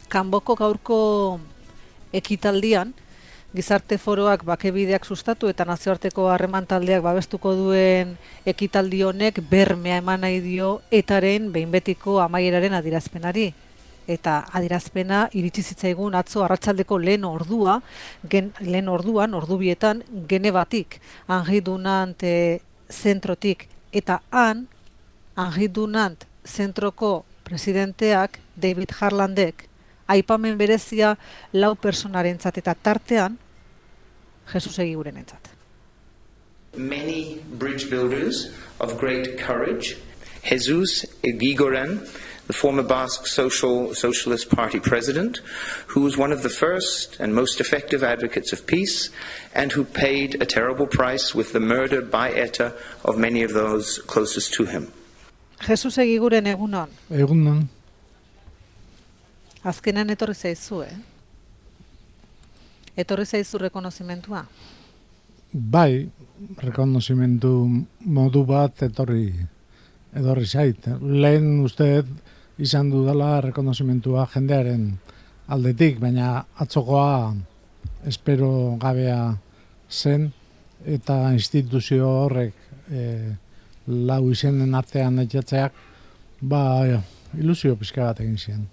Kanboko gaurko ekitaldian, gizarte foroak bakebideak sustatu eta nazioarteko harreman taldeak babestuko duen ekitaldi honek bermea eman nahi dio etaren behin betiko amaieraren adierazpenari. Eta adierazpena iritsi zitzaigun atzo arratsaldeko lehen orduan, ordubietan, Genevatik, Henri Dunant zentrotik, eta han, Henri Dunant zentroko presidenteak, David Harlandek, aipamen berezia 4 personarentzat eta tartean, Jesus Egigurenentzat. Many bridge builders of great courage, Jesus Egiguren, the former Basque Socialist Party president, who was one of the first and most effective advocates of peace, and who paid a terrible price with the murder by ETA of many of those closest to him. Jesus Egiguren egunon. Egunon. Azkenan etorri zaizu, Etorri zaizu rekonozimentua? Bai, rekonozimentu modu bat etorri zait. Lehen uste izan dudala rekonozimentua jendearen aldetik, baina atzokoa espero gabea zen, eta instituzio horrek 4 izenen artean etxatzeak, ilusio pixka bat egin ziren.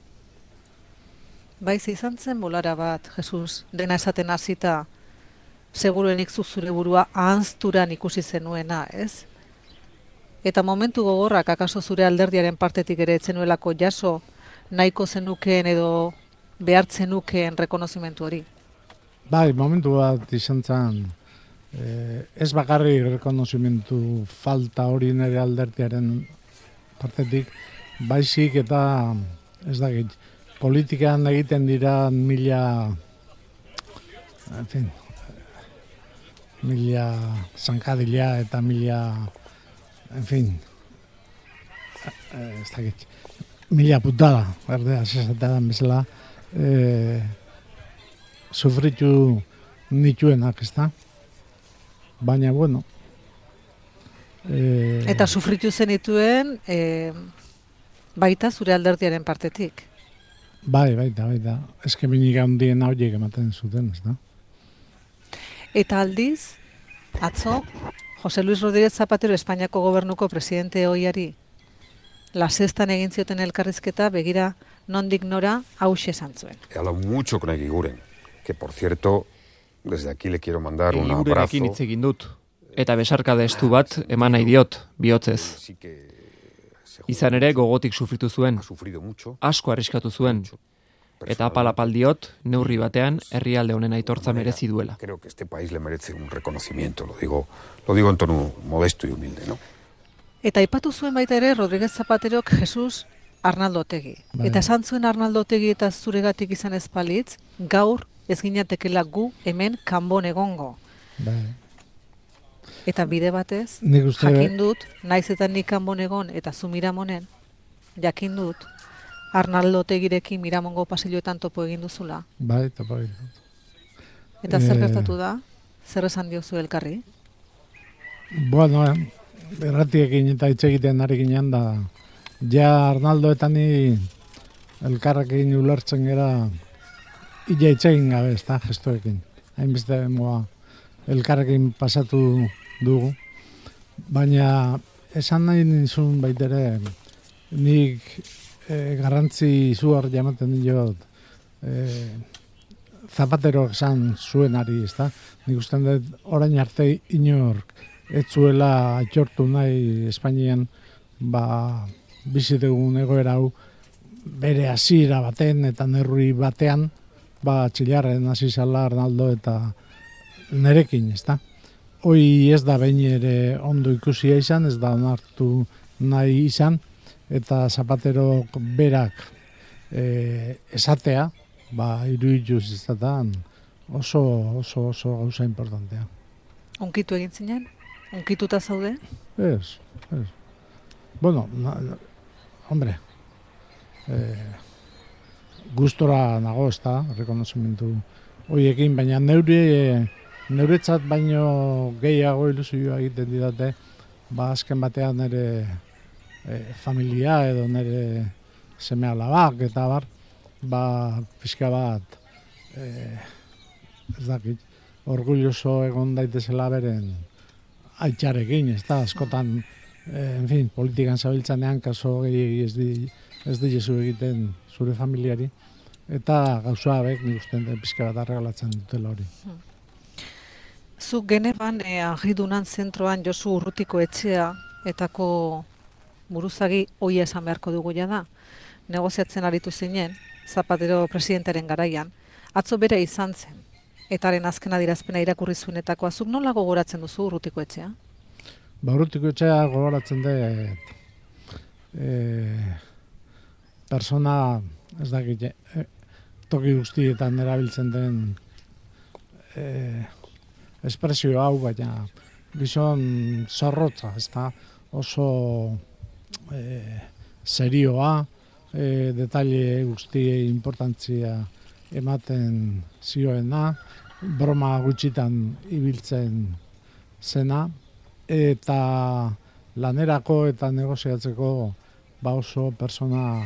Baiz izan zen bolara bat, Jesus, dena esaten hasita, seguruenik zure burua ahanzturan ikusi zenuena, ez? Eta momentu gogorrak akaso zure alderdiaren partetik ere etzenuelako jaso nahiko zenukeen edo behartzen nukeen rekonozimentu hori? Bai, momentu bat izan zen, ez bakarri rekonozimentu falta hori nire alderdiaren partetik, baizik eta ez dakit, politikan egiten dira mila zankadila eta mila putada, berdea, zesatean bezala, sufritu nituenak, ez da? Baina, bueno. Eta sufritu zenituen baita zure alderdiaren partetik? Bai, baita. Eskeminik handien horiek ematen zuten, ez da? Eta aldiz, atzo, José Luis Rodríguez Zapatero Espainiako gobernuko presidente ohiari La Sextan egin zioten elkarrizketa begira nondik nora hauxe esan zuen. He hablado mucho con Egiguren, que por cierto, desde aquí le quiero mandar un abrazo. Egigurenekin hitz egin dut, eta besarkada estu bat eman nahi diot, bihotzez. Izan ere gogotik sufritu zuen, asko arriskatu zuen, eta apal diot, neurri batean, herrialde honen aitortza merezi duela. Creo que este país le merece un reconocimiento, lo digo en tono modesto y humilde, ¿no? Eta aipatu zuen baita ere Rodríguez Zapaterok Jesus Arnaldo Otegi. Eta esan zuen Arnaldo Otegi eta zuregatik izan ez balitz, gaur ez ginatekela gu hemen kanbon egongo. Eta bide batez, jakin dut, naiz eta nik kanbon egon eta zu Miramonen, jakin dut, Arnaldo Otegirekin Miramongo pasilloetan topo egin duzula. Bai, topo egin dut. Eta zer gertatu da? Zer esan diozu elkarri? Bueno, erratiekin eta hitz egiten ari ginen da, ja Arnaldo eta ni elkarrekin ulertzen gera illa hitz egin gabe, ez da, gestoekin. Hainbeste elkarrekin pasatu dugu. Baina esan nahi nizun baitere, nik garrantzi izugar jamaten diot Zapatero esan zuenari, ez da? Nik ustean dut orain arte inork ez zuela aitortu nahi Espainian bizi dugun egoera hau bere hasiera baten eta neurri batean txilarren hasi zala Arnaldo eta nerekin, ez da? Hoi ez da behin ere ondo ikusia izan, ez da onartu nahi izan, eta Zapatero berak esatea, iruditu zizatan oso gauza importantea. Unkitu egin zinen? Unkituta zaude? Ez. Bueno, hombre, gustora nago, ez da, rekonozimentu horiekin, baina neuretzat baino gehiago ilusioa egiten didate, azken batean nire familia edo nire seme alabak eta pixka bat, ez dakit, orgulloso egon daitezela beren aitzarekin, ez da, askotan, en fin, politikan zabiltzanean, kaso gehiagi ez dizu egiten zure familiari, eta gauza abek nik uste pixka bat arregalatzen dutela hori. Zuk Genevan Argidunan zentroan Josu Urrutiko etxea etako buruzagi hoia esan beharko dugu da. Negoziatzen aritu zinen, Zapatero presidentaren garaian, atzo bere izan zen, etaren azken adierazpena irakurri zuenetakoa. Zuk nola gogoratzen duzu Urrutiko etxea? Urrutiko etxea gogoratzen dut persona, ez dakit, toki guztietan erabiltzen den espresio hau, baina gizon zorrotza, ez da, oso serioa, detaile guztiei importantzia ematen zioena, broma gutxitan ibiltzen zena, eta lanerako eta negoziatzeko oso persona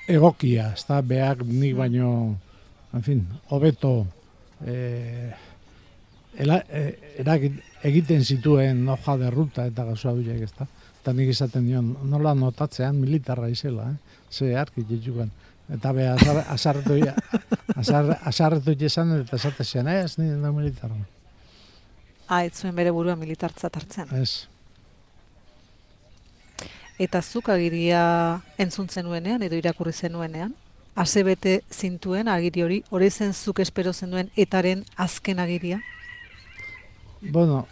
egokia, ez da, behak nik baino, en fin, hobeto egiten zituen hoja de ruta eta gauza horiek, ez da. Eta nik izaten dion, nola notatzean militarra izela, ze arki jitzukan. Eta beha, asarretu izan eta esatezean, ez nire da militarra. Ez zuen bere burua militartzat hartzen. Ez. Eta zuk agiria entzuntzen nuenean, edo irakurri zenuenean, asebete zintuen agiri hori zen zuk espero zenuen etaren azken agiria? Bueno,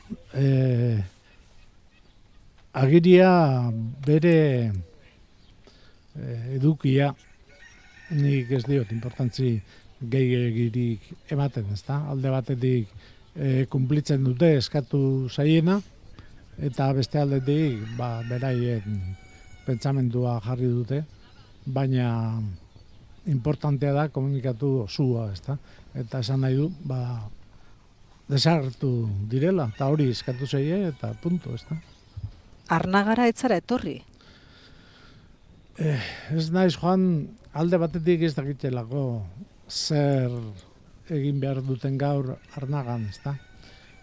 agiria bere edukia nik ez diot importantzi gehiagirik ematen, ez da? Alde batetik kumplitzen dute eskatu zaiena, eta beste aldetik beraien pentsamendua jarri dute, baina importantea da komunikatu osua, ez da? Eta esan nahi du, desagertu direla, eta hori eskatu zaie, eta punto, ez da? Arnagara etzara etorri? Ez naiz joan, alde batetik ez dakitelako zer egin behar duten gaur Arnagan, ez da?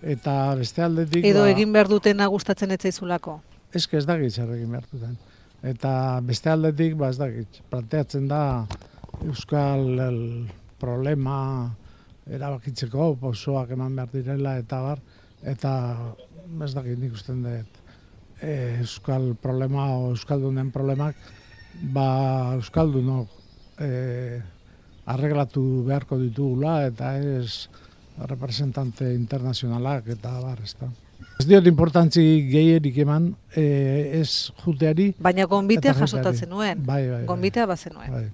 Eta beste aldetik... Edo egin behar dutena gustatzen etzaizulako? Ez dakit zer egin behar duten. Eta beste aldetik, ez dakit, planteatzen da euskal problema erabakitzeko, osoak eman behar direla, eta ez dakit nik usten dut euskal problema o euskaldunen problemak euskaldunok arreglatu beharko ditugula, eta ez representante internazionalak eta ez da. Ez diot importantzi gehierik eman, ez juteari... Baina gonbitea jasotatzen nuen. Bai. Gonbitea bazen nuen. Bai.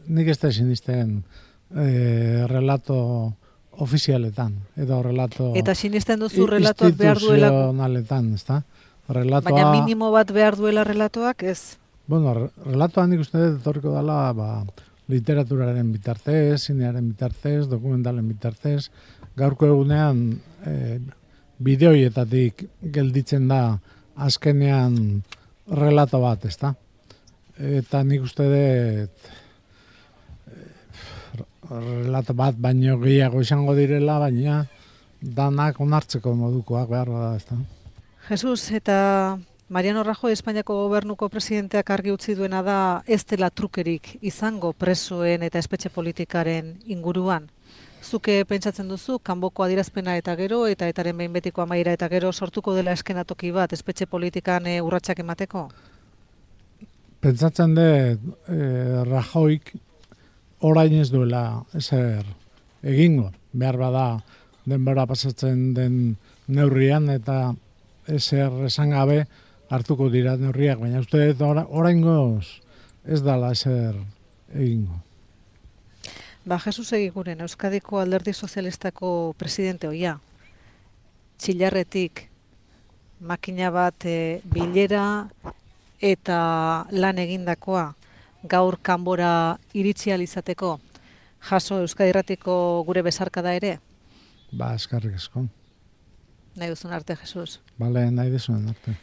Nik ez da sinisten relato ofizialetan, edo relato... Eta sinisten duzu relatoak behar duelako? Instituzionaletan, ez da. Relatoa... Baina minimo bat behar duela relatoak, ez? Bueno, relatoa nik uste dut etorriko dela, literaturaren bitartez, zinearen bitartez, dokumentalen bitartez, gaurko egunean bideoietatik gelditzen da azkenean relato bat, ezta? Eta nik uste dut relato bat baino gehiago izango direla, baina danak onartzeko modukoak behar da, ezta? Jesus, eta Mariano Rajoy Espainiako gobernuko presidenteak argi utzi duena da ez dela trukerik izango presoen eta espetxe politikaren inguruan. Zuke pentsatzen duzu, kanboko adierazpena eta gero, eta etaren behin betiko amaiera eta gero sortuko dela eskenatoki bat espetxe politikan urratsak emateko? Pentsatzen dut Rajoyk orain ez duela ezer egingo. Behar bada denbora pasatzen den neurrian eta ezer esan gabe hartuko dira neurriak, baina uste dut oraingoz ez dala ezer egingo. Jesus Egiguren, Euskadiko Alderdi Sozialistako presidente hoia, Txillarretik makina bat bilera eta lan egindakoa gaur kanbora iritsi ahal izateko, jaso Euskadi Irratiko gure besarkada ere? Eskerrik asko. Nahi duzun arte, Jesus. Nahi duzun arte.